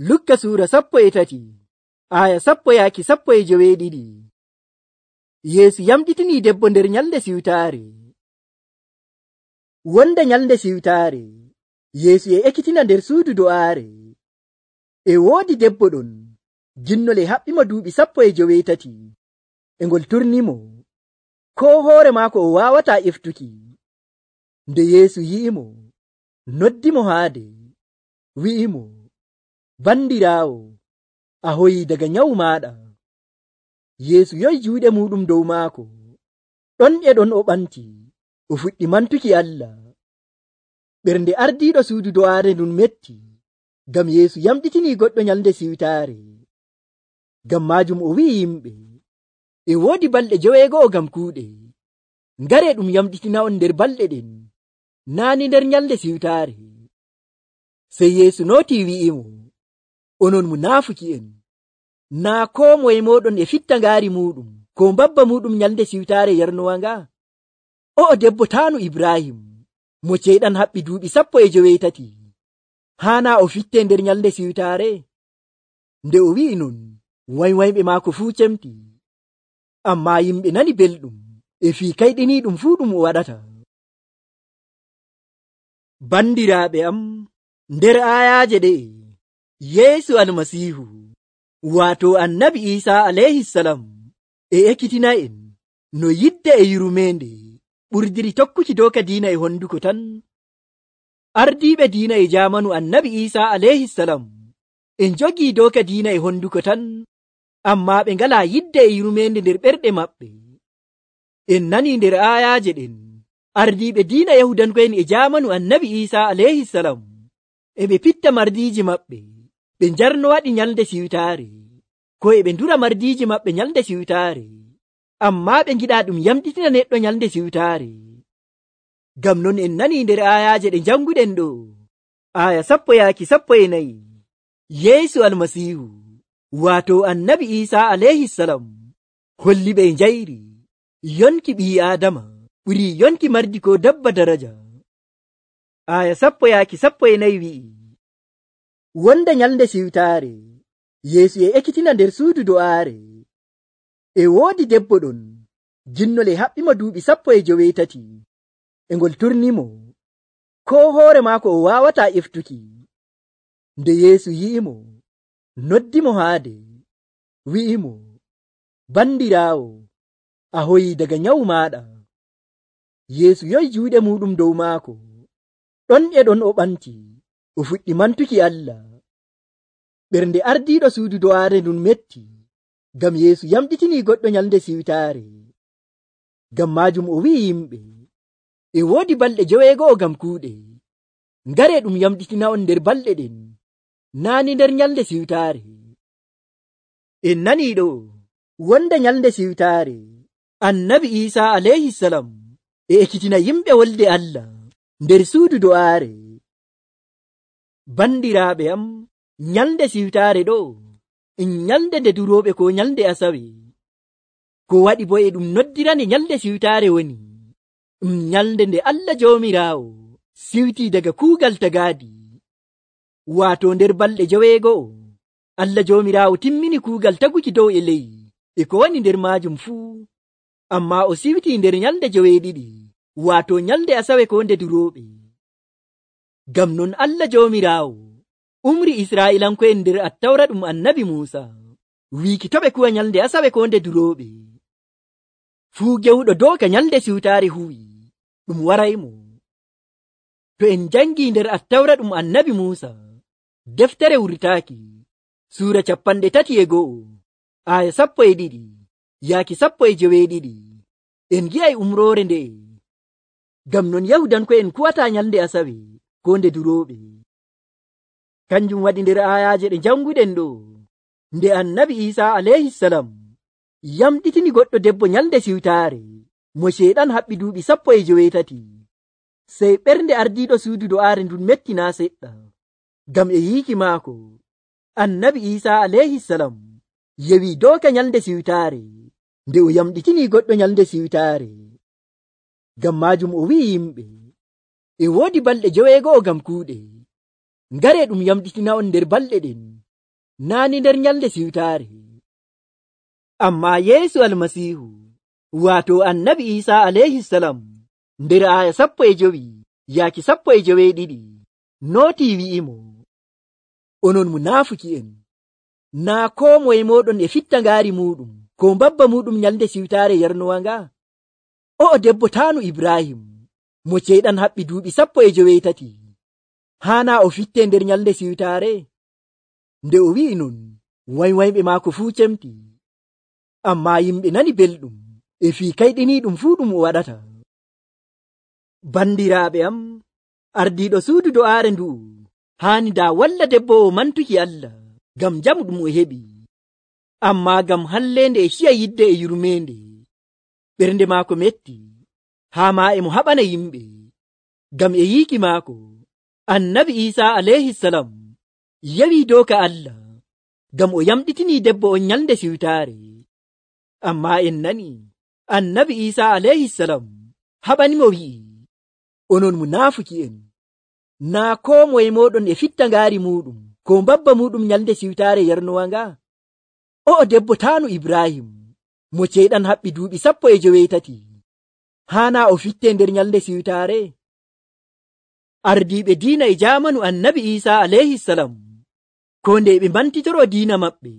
Lukka suura 13 aya 10-12. Yeesu yamɗitini debbo nder nyalde siwtaare. Wonde nyalde siwtaare, Yeesu ekkitina nder suudu do'aare. E woodi debbo ɗon, jinnole haɓɓimo duuɓi 18. E ngol turnimo, ko hoore maako o waawataa eftuki. Nde Yeesu yi'imo, noddimo haade, wi'imo, bandiraawo, a hoyi daga nyawu maaɗa. Yeesu yoyi juuɗe muɗum dow maako. Ɗon e ɗon o ɓanti, o fuɗɗi mantuki Allah. Ɓernde ardiiɗo suudu do'aare ndun metti, ngam Yeesu yamɗitini goɗɗo nyalde siwtaare. Ngam maajum o wi'i yimɓe, e woodi balɗe 9 ngam kuuɗe. Ngare ɗum yamɗitina on nder balɗe ɗen, naani nder nyalde siwtaare. Sey Yeesu nooti wi'imo, onon munaafuki'en, naa koo moye mooɗon e fitta ngaari muɗum ko mbabba muɗum nyalde siwtaare yarnowanga. O'o debbo taanu Ibrahim, mo ceyɗan haɓɓi duuɓi 13, haana o fitte nder nyalde siwtaare? Nde o wi'i non, waywayɓe maako fuu cemti. Ammaa yimɓe nani belɗum e fii kayɗiniiɗum fuu ɗum o waɗata. Bandiraaɓe am, nder aayaaje ɗe'e, Yeesu Almasiihu, waato Annabi Iisaa alayhisalam, e ekkitina en no yidde e yurmeende ɓurdiri tokkuki dooka diina e honduko tan. Ardiiɓe diina e jaamanu Annabi Iisaa alayhisalam en jogii dooka diina e honduko tan, ammaa ɓe ngalaa yidde e yurmeende nder ɓerɗe maɓɓe. En nanii nder aayaaje ɗen, ardiiɓe diina Yahudanko'en e jaamanu Annabi Iisaa alayhisalam e ɓe pitta mardiiji maɓɓe, ɓe njarno waɗi nyalde siwtaare, ko e ɓe ndura mardiiji maɓɓe nyalde siwtaare, ammaa ɓe ngiɗaa ɗum yamɗitina neɗɗo nyalde siwtaare. Ngam non en nanii nder aayaaje ɗe janguɗen ɗo, aya 10-14, Yeesu Almasiihu, waato Annabi Iisaa alayhisalam, holli ɓe njayri yonki ɓii Aadama ɓurii yonki mardi ko dabba daraja. Aya 10-14 wi'i, wonde nyalde siwtaare, Yeesu ekkitina nder suudu do'aare. E woodi debbo ɗon, jinnole haɓɓimo duuɓi 18. E ngol turnimo, ko hoore maako o waawataa eftuki. Nde Yeesu yi'imo, noddimo haade, wi'imo, bandiraawo, a hoyi daga nyawu maaɗa. Yeesu yoyi juuɗe muɗum dow maako. Ɗon e ɗon o ɓanti, o fuɗɗi mantuki Allah. Ɓernde ardiiɗo suudu do'aare ndun metti, ngam Yeesu yamɗitini goɗɗo nyalde siwtaare. Ngam maajum o wi'i yimɓe, e woodi balɗe 9 ngam kuuɗe. Ngare ɗum yamɗitina on nder balɗe ɗen, naani nder nyalde siwtaare. En nanii ɗo, wonde nyalde siwtaare, Annabi Iisaa alayhisalam e ekkitina yimɓe wolde Allah nder suudu do'aare. Bandiraaɓe am, nyalde siwtaare ɗo, nyalde nde durooɓe ko nyalde Asawe. Ko waɗi bo e ɗum noddirane nyalde siwtaare woni, nyalde nde Allah Joomiraawo siwtii daga kuugal tagaadi. Waato nder balɗe 9, Allah Joomiraawo timmini kuugal taguki dow e ley e ko woni nder maajum fuu, ammaa o siwtii nder nyalde 7, waato nyalde Asawe ko nde durooɓe. Ngam non Allah Joomiraawo umri Israa'ilanko'en nder Attawra ɗum Annabi Muusa, wiiki to ɓe kuwa nyalde Asawe ko nde durooɓe. Fuu gewɗo dooka nyalde siwtaare huwi, ɗum waraymo. To en jangii nder Attawra ɗum Annabi Muusa, deftere wurtaaki, suura 31, aya 12-12, en gi'ay umroore nde'e. Ngam non Yahudanko'en kuwataa nyalde Asawe ko nde durooɓe. Kanjum waɗi nder aayaaje ɗe janguɗen ɗo, nde Annabi Iisaa alayhisalam yamɗitini goɗɗo debbo nyalde siwtaare, mo ceyɗan haɓɓi duuɓi 18, sey ɓernde ardiiɗo suudu do'aare ndun mettinaa seɗɗa. Ngam e yiiki maako, Annabi Iisaa alayhisalam yewi dooka nyalde siwtaare, nde o yamɗitini goɗɗo nyalde siwtaare. Ngam maajum o wi'i yimɓe, e woodi balɗe 9 ngam kuuɗe. Ngare ɗum yamɗitina on nder balɗe ɗen, naani nder nyalde siwtaare. Ammaa Yeesu Almasiihu waato Annabi Iisaa alayhisalam nder aya 15 yaaki 12 nootii wi'imo, onon munaafuki'en, naa koo moye mooɗon e fitta ngaari muuɗum ko mbabba muuɗum nyalde siwtaare yarnowa nga. O'o debbo taanu Ibrahim mo ceyɗan haɓɓi duuɓi 13 haanaa o fitte nder nyalde siwtaare. Nde o wi'i non, waywayɓe maako fuu cemti. Ammaa yimɓe nani belɗum e fii kayɗiniiɗum fuu ɗum o waɗata. Bandiraaɓe am, ardiiɗo suudu do'aare ndu'u haani daa walla debbo o mantuki Allah ngam jamu ɗum o heɓi. Ammaa ngam halleende e ciya yidde e yurmeende, ɓernde maako metti, haa maa e mo haɓana yimɓe. Ngam e yiiki maako, Annabi Iisaa alayhisalam yawii doka Allah ngam o yamɗitinii debbo on nyalde siwtaare. Ammaa en nani Annabi Iisaa alayhisalam haɓanimo wi'i, onon munaafuki'en, naa koo moye mooɗon e fitta ngaari muuɗum ko mbabba muuɗum nyalde siwtaare yarnowa nga. O'o debbo taanu Ibrahim mo ceyɗan haɓɓi duuɓi 13 haanaa o fitte nder nyalde siwtaare. Ardiiɓe diina e jaamanu Annabi Iisaa alayhisalam ko nde ɓe mbantitoro diina maɓɓe,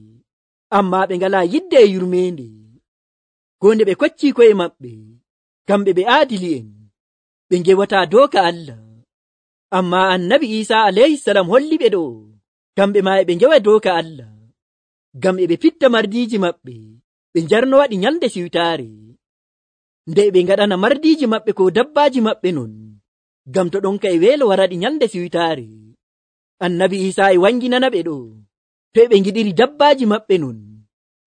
ammaa ɓe ngalaa yidde e yurmeende. Ko nde ɓe koccii ko'e maɓɓe, kamɓe ɓe aadili'en, ɓe ngewataa dooka Allah. Ammaa Annabi Iisaa alayhisalam holli ɓe ɗo, kamɓe maa e ɓe ngewa dooka Allah, ngam e ɓe pitta mardiiji maɓɓe ɓe njarnowaɗi nyalde siwtaare. Nde ɓe ngaɗana mardiiji maɓɓe ko dabbaaji maɓɓe non, ngam to ɗonka e weelo waraɗi nyalde siwtaare. Annabi Iisaa e wanginana ɓe ɗo, to e ɓe ngiɗiri dabbaaji maɓɓe non,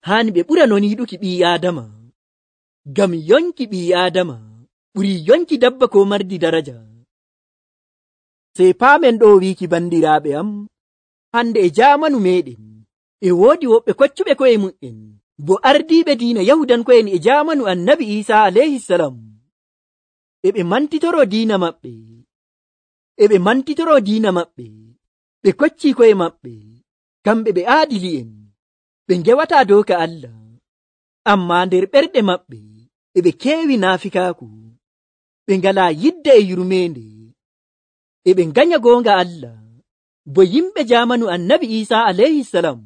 haani ɓe ɓura non yiɗuki ɓii Aadama, ngam yonki ɓii Aadama ɓurii yonki dabba ko mardi daraja. Sey paamen ɗo wiiki bandiraaɓe am, hande e jaamanu meɗen e woodi woɓɓe koccuɓe ko'e mu'en bo ardiiɓe diina Yahudanko'en e jaamanu Annabi Iisaa alayhisalam. E ɓe mantitoro diina maɓɓe, ɓe koccii ko'e maɓɓe, kamɓe ɓe aadili'en, ɓe ngewataa dooka Allah. Ammaa nder ɓerɗe maɓɓe e ɓe keewi naafikaaku, ɓe ngalaa yidde e yurmeende, e ɓe nganya goonga Allah bo yimɓe jaamanu Annabi Iisaa alayhisalam.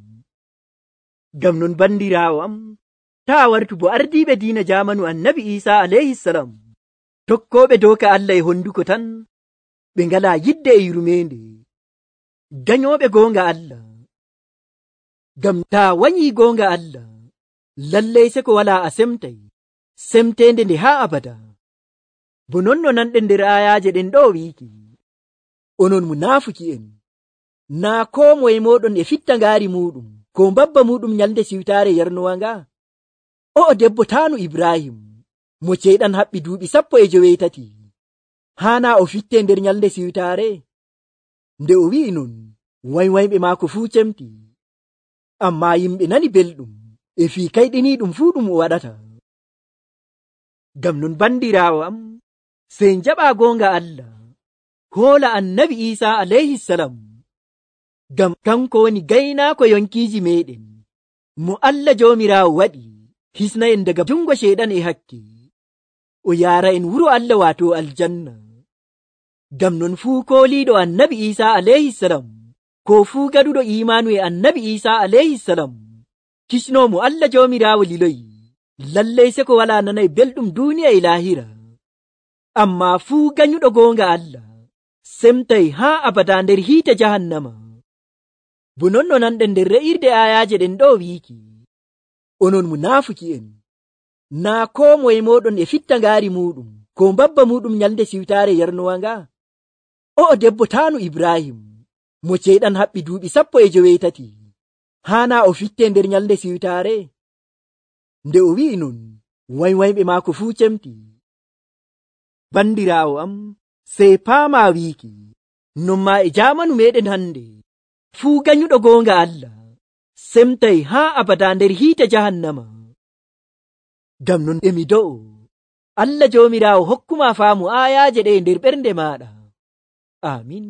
Ngam non bandiraawo am, taa wartu bo ardiiɓe diina jaamanu Annabi Iisaa alayhisalam, tokkooɓe dooka Allah e honduko tan, ɓe ngalaa yidde e yurmeende, ganyooɓe goonga Allah. Ngam taa wanyii goonga Allah, lallay se ko walaa a semtay, semteende nde haa abada. Bo non no nanɗen nder ayaaje ɗen ɗo wiiki, onon munaafuki'en, naa koo moye mooɗon e fitta ngaari muuɗum ko mbabba muuɗum nyalde siwtaare yarnowa nga. O'o debbo taanu Ibrahim mo ceyɗan haɓɓi duuɓi 13 haanaa o fitte nder nyalde siwtaare. Nde o wi'i non, waywayɓe maako fuu cemti. Ammaa yimɓe nani belɗum e fii kayɗiniiɗum fuu ɗum o waɗata. Ngam non bandiraawo am, sey njaɓaa goonga Allah, hoola Annabi Iisaa alayhisalam, ngam kanko woni gaynaako yonkiiji meɗen, mo Allah Joomiraawo waɗi hisna en daga jungo ceyɗan e hakke, o yaara en wuro Allah waato aljanna. Ngam non fuu kooliiɗo Annabi Iisaa alayhisalam ko fuu gaɗuɗo iimaanu e Annabi Iisaa alayhisalam, kisnoomo Allah Joomiraawo liloyi, lallay se ko walaa nanay belɗum duuniya e laahira. Ammaa fuu ganyuɗo goonga Allah semtay haa abada nder hiite jahannama. Bo non no nanɗen nder re'irde ayaaje ɗen ɗo wiiki, onon munaafuki'en, naa koo moye mooɗon e fitta ngaari muuɗum ko mbabba muuɗum nyalde siwtaare yarnowa nga. O'o debbo taanu Ibrahim mo ceyɗan haɓɓi duuɓi 13 haanaa o fitte nder nyalde siwtaare. Nde o wi'i non, waywayɓe maako fuu cemti. Bandiraawo am, sey paamaa wiiki, non maa e jaamanu meɗen hande, fuu ganyuɗo goonga Allah semtay haa abada nder hiite jahannama. Ngam non emi do'o, Allah Joomiraawo hokkuma faamu ayaaje ɗe nder ɓernde maaɗa. Amin.